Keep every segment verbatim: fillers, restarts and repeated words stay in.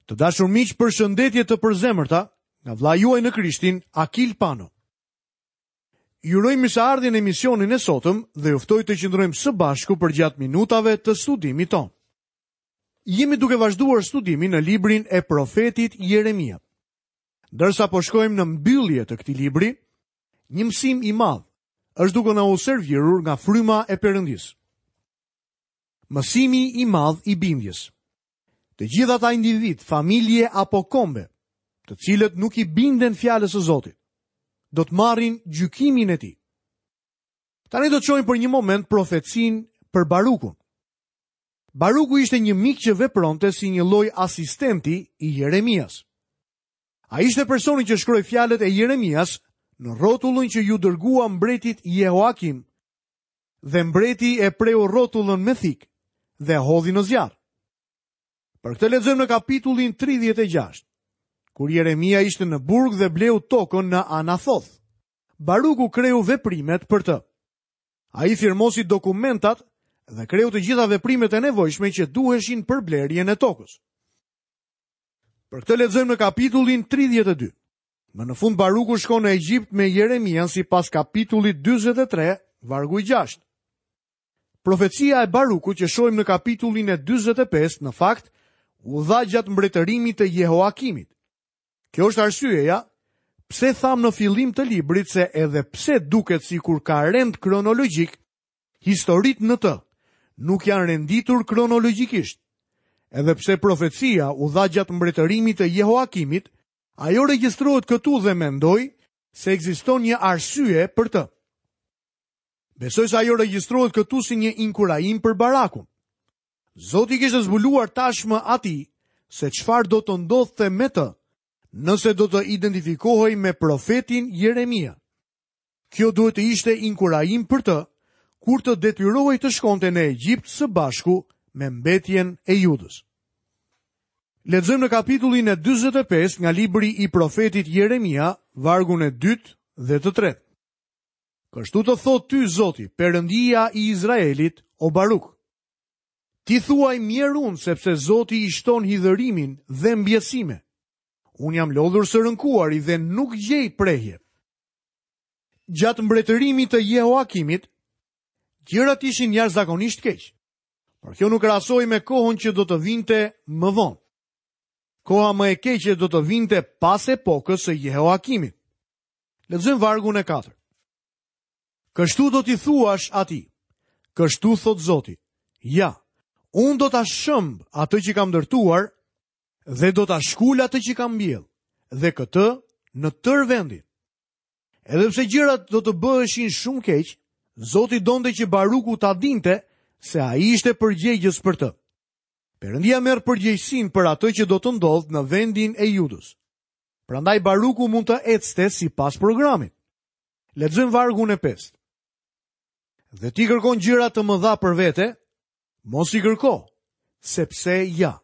Të dashur miq, përshëndetje të përzemërta nga vëllai juaj në Krishtin, Akil Pano. Ju uroj mirëseardhjen në emisionin e sotëm dhe ju ftoj të qëndrojmë së bashku përgjatë minutave të studimit tonë. Jemi duke vazhduar studimin në librin e profetit Jeremia. Ndërsa po shkojmë në mbyllje të këtij libri, një mësim i madh është duke na u servirur nga fryma e Perëndisë. Mësimi i madh i bindjes. Të gjithë ata individ, familje apo kombe, të cilët nuk i binden fjalës së Zotit, do të marrin gjykimin e tij. Tani do të shohim për një moment profecinë për Barukun. Baruku ishte një mik që vepronte si një lloj asistenti i Jeremias. Ai ishte personi që shkroi fjalët e Jeremias në rrotullën që ju dërgua mbretit Jehoakim, dhe mbreti e preu rrotullën me thikë dhe e hodhi në zjarr. Për këtë lexojmë në kapitullin tridhjetë e gjashtë, kur Jeremia ishte në burg dhe bleu tokën në Anathoth. Baruku kreu veprimet për të. Ai firmosi dokumentat dhe kreu të gjitha veprimet e nevojshme që duheshin për blerjen e tokës. Për këtë lexojmë në kapitullin tridhjetë e dy. Më në fund Baruku shkon në Egjipt me Jeremian sipas kapitullit dyzet e tre, vargu i gjashtë. Profecia e Barukut që shohim në kapitullin e dyzet e pesë në fakt u dha gjatë mbretërimit të Jehoakimit. Kjo është arsyeja pse tham në fillim të librit se edhe pse duket sikur ka rend kronologjik, historitë në të nuk janë renditur kronologjikisht. Edhe pse profecia u dha gjatë mbretërimit të Jehoakimit, ajo regjistrohet këtu dhe mendoj se ekziston një arsye për të. Besoj se ajo regjistrohet këtu si një inkurajim për Barakun. Zoti kishte zbuluar tashmë atij se çfarë do të ndodhte me të, nëse do të identifikohej me profetin Jeremia. Kjo duhet të ishte inkurajim për të, kur të detyrohej të shkonte në Egjipt së bashku me mbetjen e Judës. Lexojmë në kapitullin e dyzet e pesë nga libri i profetit Jeremia, vargun e dytë dhe të tretë. Kështu të thotë ty Zoti, Perëndia i Izraelit, o Baruk. Ti thuaj mjerë unë, sepse Zoti i shton hidhërimin dhe mbjesime. Unë jam lodhur së rënkuari dhe nuk gjej prehje. Gjatë mbretërimit të Jehoakimit, gjërat ishin jashtëzakonisht keq, por kjo nuk krahasoi me kohën që do të vinte më vonë. Koha më e keqe do të vinte pas epokës së Jehoakimit. Lexojmë vargun e katërt. Kështu do t'i thuash atij, kështu thot Zoti, ja, unë do ta shëmb atë që kam ndërtuar dhe do ta shkul atë që kam mbjell, dhe këtë në tërë vendin. Edhe pse gjërat do të bëheshin shumë keq, Zoti donte që Baruku ta dinte se ai ishte përgjegjës për të. Perëndia merr përgjegjësinë për atë që do të ndodhë në vendin e Judës. Prandaj Baruku mund të ecte sipas programit. Lexojmë vargun e pestë. Dhe ti kërkon gjëra të mëdha për vete, mos i kërko, sepse ja,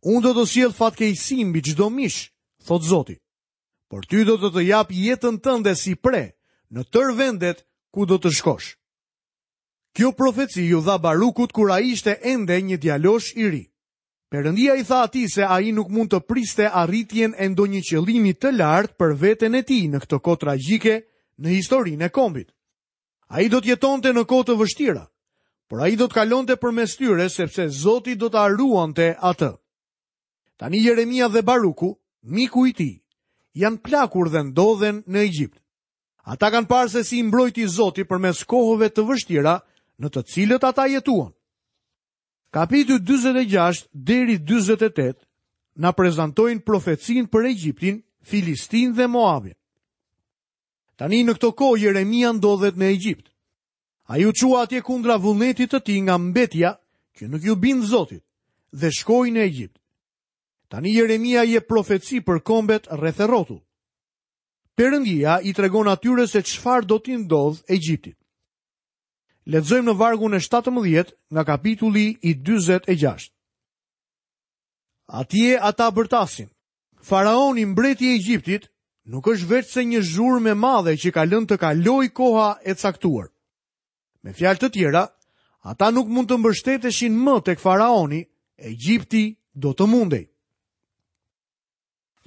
unë do të sjell fatkeqësi mbi çdo mish, thot Zoti. Por ty do të të jap jetën tënde si pre në tërë vendet ku do të shkosh. Kjo profeci ju dha Barukut kur ai ishte ende një djalosh i ri. Perëndia i tha atij se ai nuk mund të priste arritjen e ndonjë qëllimi të lartë për veten e tij në këtë kohë tragjike në historinë e kombit. Ai do të jetonte në kohë të vështira, por ai do të kalonte përmes tyre sepse Zoti do ta ruante atë. Tani Jeremia dhe Baruku, miku i tij, janë plakur dhe ndodhen në Egjipt. Ata kanë parë se si i mbrojti Zoti përmes kohëve të vështira në të cilët ata jetuan. Kapitulli dyzet e gjashtë deri dyzet e tetë na prezantojnë profecinë për Egjiptin, Filistin dhe Moabin. Tani në këto kohë Jeremia ndodhet në Egjipt. Ai u çua atje kundra vullnetit të tij nga mbetja që nuk ju bind Zotit dhe shkoi në Egjipt. Tani Jeremia jep profeci për kombet rreth e rrotull. Perëndia i tregon atyre se çfarë do t'i ndodh Egjiptit. Lexojmë në vargun e shtatëmbëdhjetë nga kapitulli i dyzet e gjashtë. Atje ata bërtasin. Faraoni, mbreti i Egjiptit, nuk është veç se një zhurmë e madhe që ka lënë të kalojë koha e caktuar. Me fjalë të tjera, ata nuk mund të mbështeteshin më tek faraoni, Egjipti do të mundej.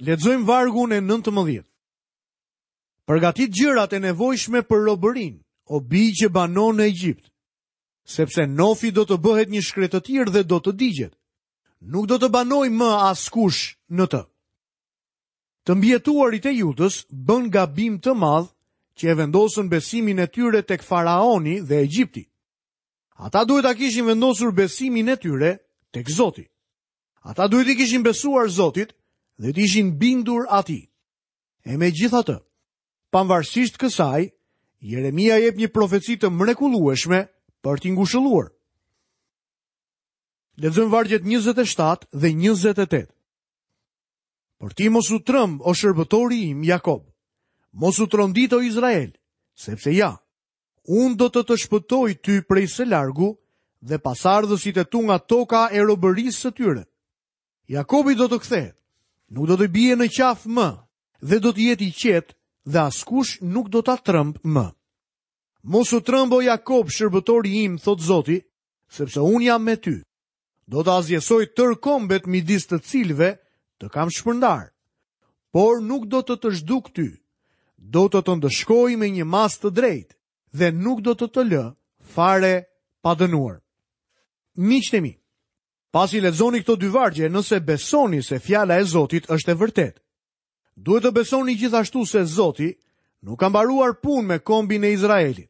Lexojmë vargun e nëntëmbëdhjetë. Përgatit gjërat e nevojshme për robërinë, o bij që banon në Egjipt, sepse Nofi do të bëhet një shkretëtir dhe do të digjet. Nuk do të banojë më askush në të. Të mbijetuarit e Judës bën gabim të madh që e vendosën besimin e tyre tek faraoni dhe Egjipti. Ata duhet ta kishin vendosur besimin e tyre tek Zoti. Ata duhet i kishin besuar Zotit dhe të ishin bindur atij. E megjithatë, pavarësisht kësaj, Jeremia jep një profeci të mrekullueshme për t'i ngushëlluar. Lexojmë vargjet njëzet e shtatë dhe njëzet e tetë. Por ti mos u tremb, o shërbëtori im Jakob. Mos u trondit, o Izrael, sepse ja, unë do të të shpëtoj ty prej së largu dhe pasardhësit e tu nga toka e robërisë së tyre. Jakobi do të kthehet, nuk do të bie në qafë më dhe do të jetë i qetë dhe askush nuk do ta tremb më. Mos u tremb, o Jakob, shërbëtori im, thot Zoti, sepse unë jam me ty. Do të asgjësoj tërë kombet midis të cilëve të kam shpërndar, por nuk do të të zhduk ty. Do të të ndëshkoj me një masë të drejtë dhe nuk do të të lë fare pa dënuar. Miqtë e mi, pasi lexoni këto dy vargje, nëse besoni se fjala e Zotit është e vërtetë, duhet të besoni gjithashtu se Zoti nuk ka mbaruar punë me kombin e Izraelit.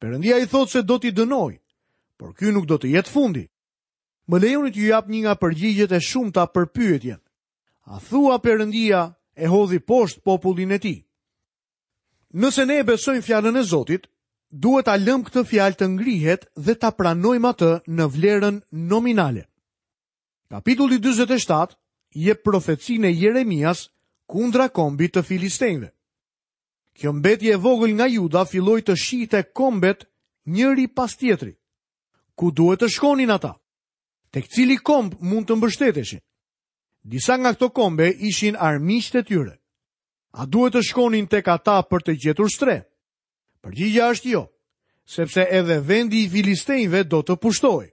Perëndia i thotë se do t'i dënoj, por ky nuk do të jetë fundi. Më lejoni t'ju jap një nga përgjigjet e shumta për pyetjen. A thua Perëndia e hodhi poshtë popullin e tij? Nëse ne e besojmë fjalën e Zotit, duhet ta lëmë këtë fjalë të ngrihet dhe ta pranojmë atë në vlerën nominale. Kapitulli dyzet e shtatë jep profecinë e Jeremias kundra kombit të Filistejve. Kjo mbetje e vogël nga Juda filloi të shihte kombet njëri pas tjetrit. Ku duhet të shkonin ata? Tek cili komb mund të mbështeteshin? Disa nga këto kombe ishin armiqtë e tyre. A duhet të shkonin tek ata për të gjetur strehë? Përgjigjja është jo, sepse edhe vendi i Filistejve do të pushtohej.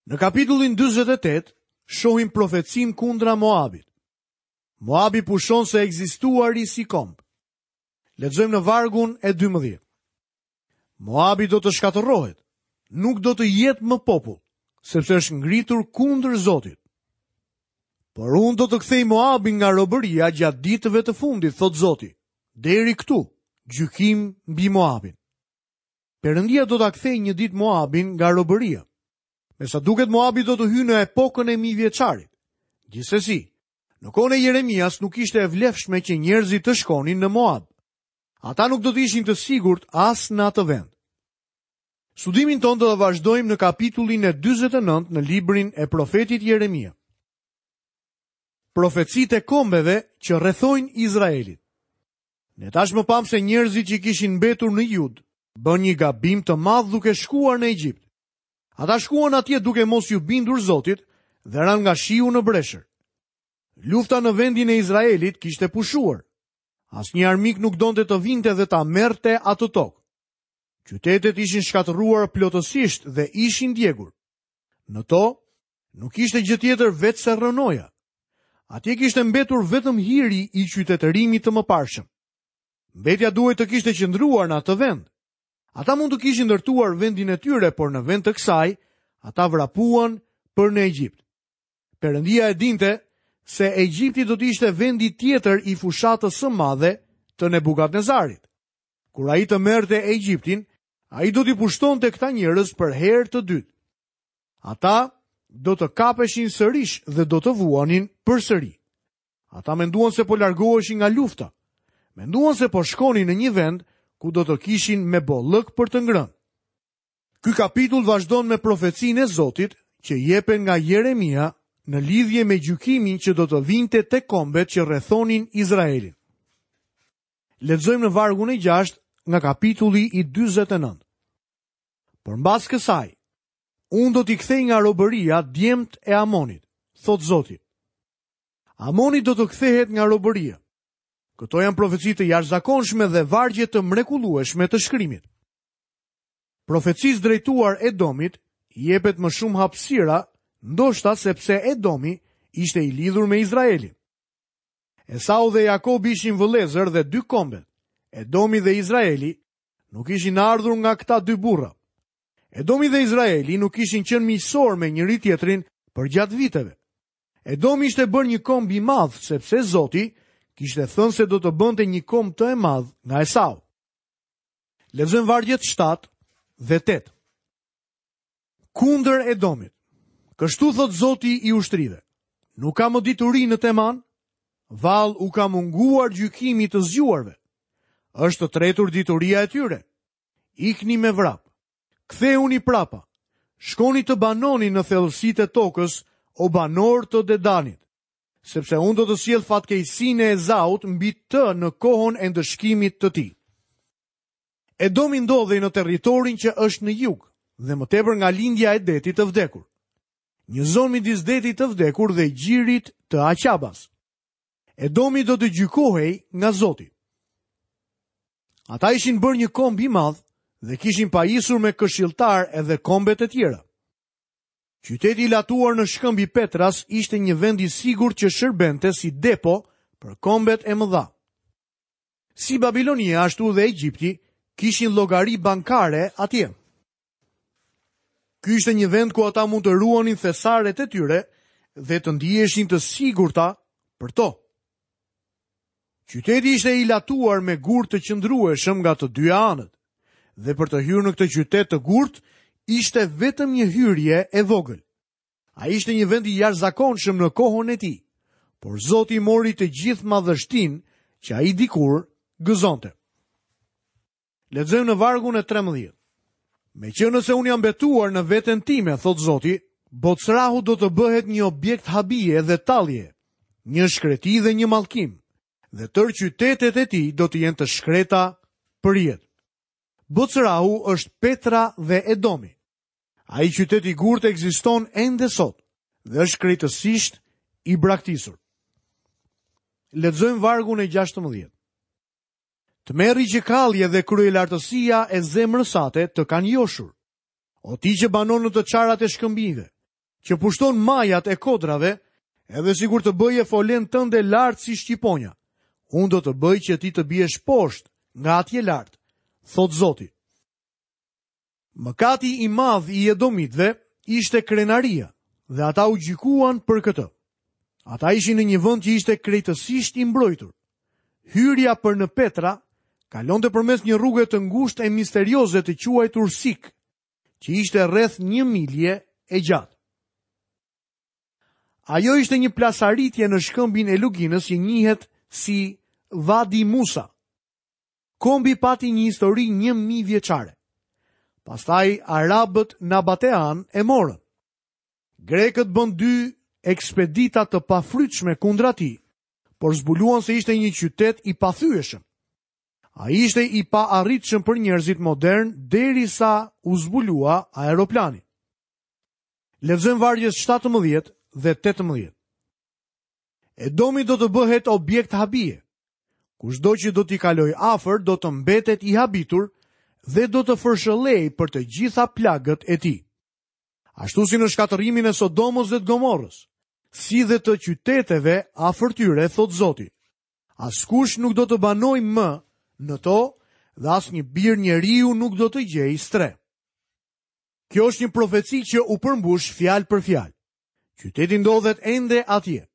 Në kapitullin dyzet e tetë shohim profecin kundra Moabit. Moabi pushon se ekzistuari si komb. Lexojmë në vargun e dymbëdhjetë. Moabi do të shkatërrohet, nuk do të jetë më popull, sepse është ngritur kundër Zotit. Por unë do të kthej Moabin nga robëria gjatë ditëve të fundit, thot Zoti. Deri këtu, gjykim mbi Moabin. Perëndia do ta kthejë një ditë Moabin nga robëria. Me sa duket Moabi do të hyjë në epokën e mijëvjeçarit. Gjithsesi, në kohën e Jeremias nuk ishte e vlefshme që njerëzit të shkonin në Moab. Ata nuk do të ishin të sigurt as në atë vend. Studimin tonë do të vazhdojmë në kapitullin e dyzet e nëntë në librin e profetit Jeremia. Profecitë e kombeve që rrethojnë Izraelit. Ne tashmë pamë se njerëzit që kishin mbetur në Jud bën një gabim të madh duke shkuar në Egjipt. Ata shkuan atje duke mos ju bindur Zotit dhe ranë nga shiu në breshër. Lufta në vendin e Izraelit kishte pushuar. Asnjë armik nuk donte të vinte dhe ta merrte atë tokë. Qytetet ishin shkatërruar plotësisht dhe ishin djegur. Në to nuk ishte gjë tjetër veç se rrënoja. Atje kishte mbetur vetëm hiri i qytetërimit të mëparshëm. Mbetja duhet të kishte qëndruar në atë vend. Ata mund të kishin ndërtuar vendin e tyre, por në vend të kësaj, ata vrapuan për në Egjipt. Perëndia e dinte se Egjipti do të ishte vendi tjetër i fushatës së madhe të Nebukadnezarit. Kur ai të merrte Egjiptin, ai do t'i pushtonte këta njerëz për herë të dytë. Ata do të kapeshin sërish dhe do të vuanin përsëri. Ata menduan se po largoheshin nga lufta. Menduan se po shkonin në një vend ku do të kishin me bollëk për të ngrënë. Ky kapitull vazhdon me profecinë e Zotit që jepen nga Jeremia në lidhje me gjykimin që do të vinte te kombet që rrethonin Izraelin. Lexojmë në vargun e gjashtë nga kapitulli i dyzet e nëntë. Por mbas kësaj, unë do t'i kthej nga robëria djemt e Amonit, thot Zoti. Amoni do të kthehet nga robëria. Këto janë profeci të jashtëzakonshme dhe vargje të mrekullueshme të shkrimit. Profecisë drejtuar Edomit jepet më shumë hapësira, ndoshta sepse Edomi ishte i lidhur me Izraelin. Esau dhe Jakobi ishin vëllezër dhe dy kombet, Edomi dhe Izraeli, nuk ishin ardhur nga këta dy burra. Edomi dhe Izraeli nuk ishin qenë miqësor me njëri tjetrin përgjatë viteve. Edomi ishte bërë një komb i madh sepse Zoti kishte thënë se do të bënte një komb të e madh nga Esau. Lexojmë vargjet shtatë dhe tetë. Kundër Edomit. Kështu thot Zoti i ushtrive. Nuk ka më dituri në Teman? Vallë u ka munguar gjykimi të zgjuarve. Është tretur dituria e tyre. Ikni me vrap. Kthehuni prapa. Shkoni të banoni në thellësitë e tokës, o banor të Dedanit, sepse unë do të sjell fatkeqësinë e Ezaut mbi të në kohën e ndëshkimit të tij. Edomi ndodhej në territorin që është në jug dhe më tepër nga lindja e detit të vdekur. Një zonë midis detit të vdekur dhe gjirit të Aqabas. Edomi do të gjykohej nga Zoti. Ata ishin bërë një komb i madh dhe kishin pajisur me këshilltar edhe kombet e tjera. Qyteti i latuar në shkëmb i Petras ishte një vend i sigurt që shërbente si depo për kombet e mëdha. Si Babilonia ashtu dhe Egjipti kishin llogari bankare atje. Ky ishte një vend ku ata mund të ruanin thesaret e tyre dhe të ndiheshin të sigurta për to. Qyteti ishte i latuar me gur të qëndrueshëm nga të dyja anët, dhe për të hyrë në këtë qytet të gurt ishte vetëm një hyrje e vogël. Ai ishte një vend i jashtëzakonshëm në kohën e tij, por Zoti mori të gjithë madhështinë që ai dikur gëzonte. Lexojmë në vargun e trembëdhjetë. Meqenëse unë jam betuar në veten time, thot Zoti, Bocrahu do të bëhet një objekt habie dhe tallje, një shkreti dhe një mallkim, dhe tërë qytetet e tij do të jenë të shkreta për jetë. Bocrahu është Petra dhe Edomi. Ai qytet i gurt ekziston ende sot dhe është krejtësisht i braktisur. Lexojmë vargun e gjashtëmbëdhjetë. Tmerri që kallje dhe kryelartësia e zemrës sate të kanë joshur. O ti që banon në të çarat e shkëmbinjve, që pushton majat e kodrave, edhe sikur të bëje folen tënde lart si shqiponja, unë do të bëj që ti të biesh poshtë nga atje lart, thot Zoti. Mëkati i madh i Edomitëve ishte krenaria dhe ata u gjykuan për këtë. Ata ishin në një vend që ishte krejtësisht i mbrojtur. Hyrja për në Petra kalonte përmes një rruge të ngushtë e misterioze të quajtur Sik, që ishte rreth një milje e gjatë. Ajo ishte një plasaritje në shkëmbin e Luginës që njihet si Vadi Musa. Kombi pati një histori një mijë vjeçare. Pastaj arabët Nabatean e morën. Grekët bën dy ekspedita të pafrytshme kundra tij, por zbuluan se ishte një qytet i pathyeshëm. Ai ishte i paarritshëm për njerëzit modern derisa u zbulua aeroplani. Lexojmë vargjet shtatëmbëdhjetë dhe tetëmbëdhjetë. Edomi do të bëhet objekt habie. Kushdo që do t'i kalojë afër do të mbetet i habitur dhe do të fërshëllej për të gjitha plagët e tij. Ashtu si në shkatërrimin e Sodomës dhe të Gomorrës, si dhe të qyteteve afër tyre, thot Zoti. Askush nuk do të banojë më në to dhe asnjë bir njeriu nuk do të gjejë strehë. Kjo është një profeci që u përmbush fjalë për fjalë. Qyteti ndodhet ende atje.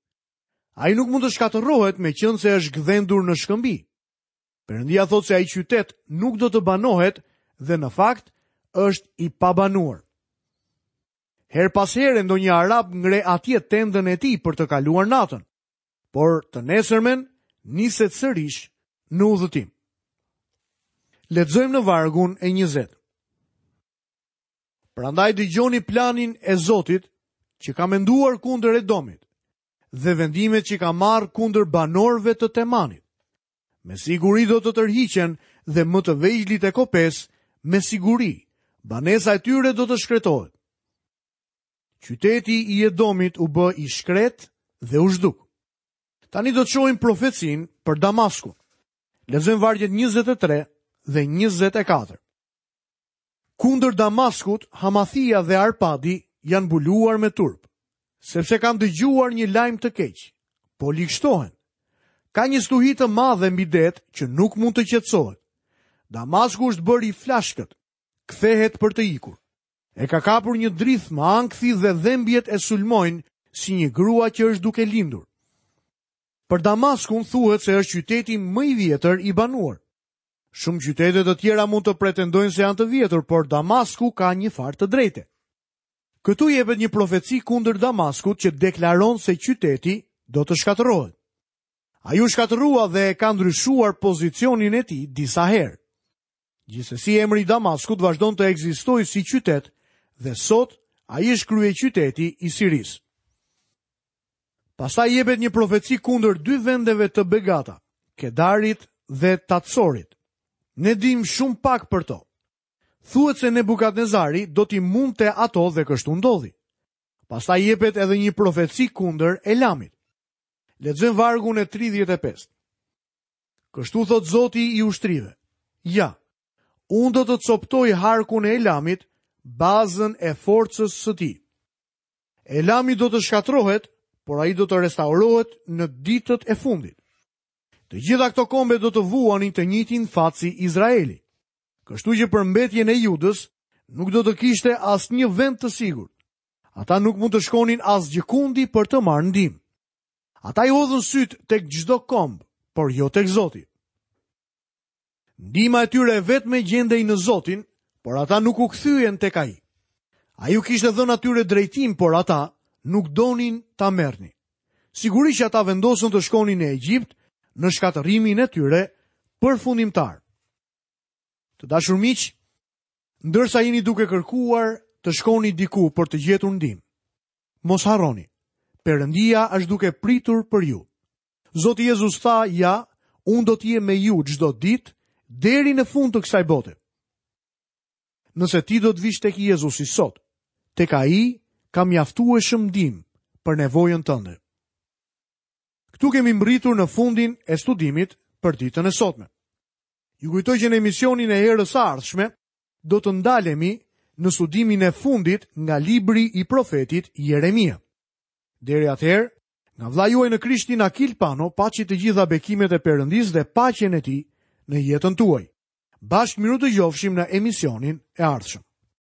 Ai nuk mund të shkatërrohet meqense është gdhendur në shkëmbi. Perëndia thotë se ai qytet nuk do të banohet dhe në fakt është i pabanuar. Her pas here ndonjë arab ngre atje tendën e tij për të kaluar natën, por të nesërmen niset sërish në udhëtim. Lexojmë në vargun e njëzet. Prandaj dëgjoni planin e Zotit që ka menduar kundër Edomit dhe vendimet që ka marrë kundër banorëve të Temanit. Me siguri do të tërhiqen dhe më të vegjlit e kopes, me siguri, banesa e tyre do të shkretohet. Qyteti i Edomit u bë i shkret dhe u zhduk. Tani do të shohim profecinë për Damaskun. Lexojmë vargjet njëzet e tre dhe njëzet e katër. Kundër Damaskut, Hamathia dhe Arpadi janë mbuluar me turp, sepse kanë dëgjuar një lajm të keq, po ligshtohen. Ka një stuhi të madhe mbi det që nuk mund të qetësohet. Damasku është bërë i flashkët, kthehet për të ikur. E ka kapur një drithmë ankthi dhe dhembjet e sulmojnë si një grua që është duke lindur. Për Damaskun thuhet se është qyteti më i vjetër i banuar. Shumë qytete të tjera mund të pretendojnë se janë të vjetër, por Damasku ka një farë të drejte. Këtu jepet një profeci kundër Damaskut që deklaron se qyteti do të shkatërrohet. Ai u shkatërrua dhe e ka ndryshuar pozicionin e tij disa herë. Gjithsesi emri i Damaskut vazhdon të ekzistojë si qytet dhe sot ai është kryeqyteti i Sirisë. Pastaj jepet një profeci kundër dy vendeve të begata, Kedarit dhe Tatsorit. Ne dim shumë pak për to. Thuhet se Nebukadnezari do t'i mundte ato dhe kështu ndodhi. Pastaj jepet edhe një profeci kundër Elamit. Lexojmë vargun e tridhjetë e pesë. Kështu thot Zoti i ushtrive: Ja, unë do të coptoj harkun e Elamit, bazën e forcës së tij. Elami do të shkatërrohet, por ai do të restaurohet në ditët e fundit. Të gjitha këto kombe do të vuanin të njëjtin fat si Izraeli. Kështu që për mbetjen e Judës nuk do të kishte asnjë vend të sigurt. Ata nuk mund të shkonin asgjëkundi për të marrë ndihmë. Ata i hodhën syt tek çdo komb, por jo tek Zoti. Ndihma e tyre e vetme gjendej në Zotin, por ata nuk u kthyen tek ai. Ai u kishte dhënë atyre drejtim, por ata nuk donin ta merrnin. Sigurisht që ata vendosën të shkonin në Egjipt në shkatërrimin e tyre përfundimtar. Të dashur miq, ndërsa jeni duke kërkuar të shkoni diku për të gjetur ndihmë, mos harroni, Perëndia është duke pritur për ju. Zoti Jezus tha: "Ja, unë do të jem me ju çdo ditë deri në fund të kësaj bote." Nëse ti do të vish tek Jezusi sot, tek ai ka mjaftueshëm ndihmë për nevojën tënde. Këtu kemi mbërritur në fundin e studimit për ditën e sotme. Ju kujtoj që në emisionin e herës së ardhshme do të ndalemi në studimin e fundit nga libri i profetit Jeremia. Deri atëherë, nga vëllai juaj në Krishtin Akil Pano, paçi të gjitha bekimet e Perëndisë dhe paqen e tij në jetën tuaj. Bashkë mirudëgjofshim në emisionin e ardhshëm.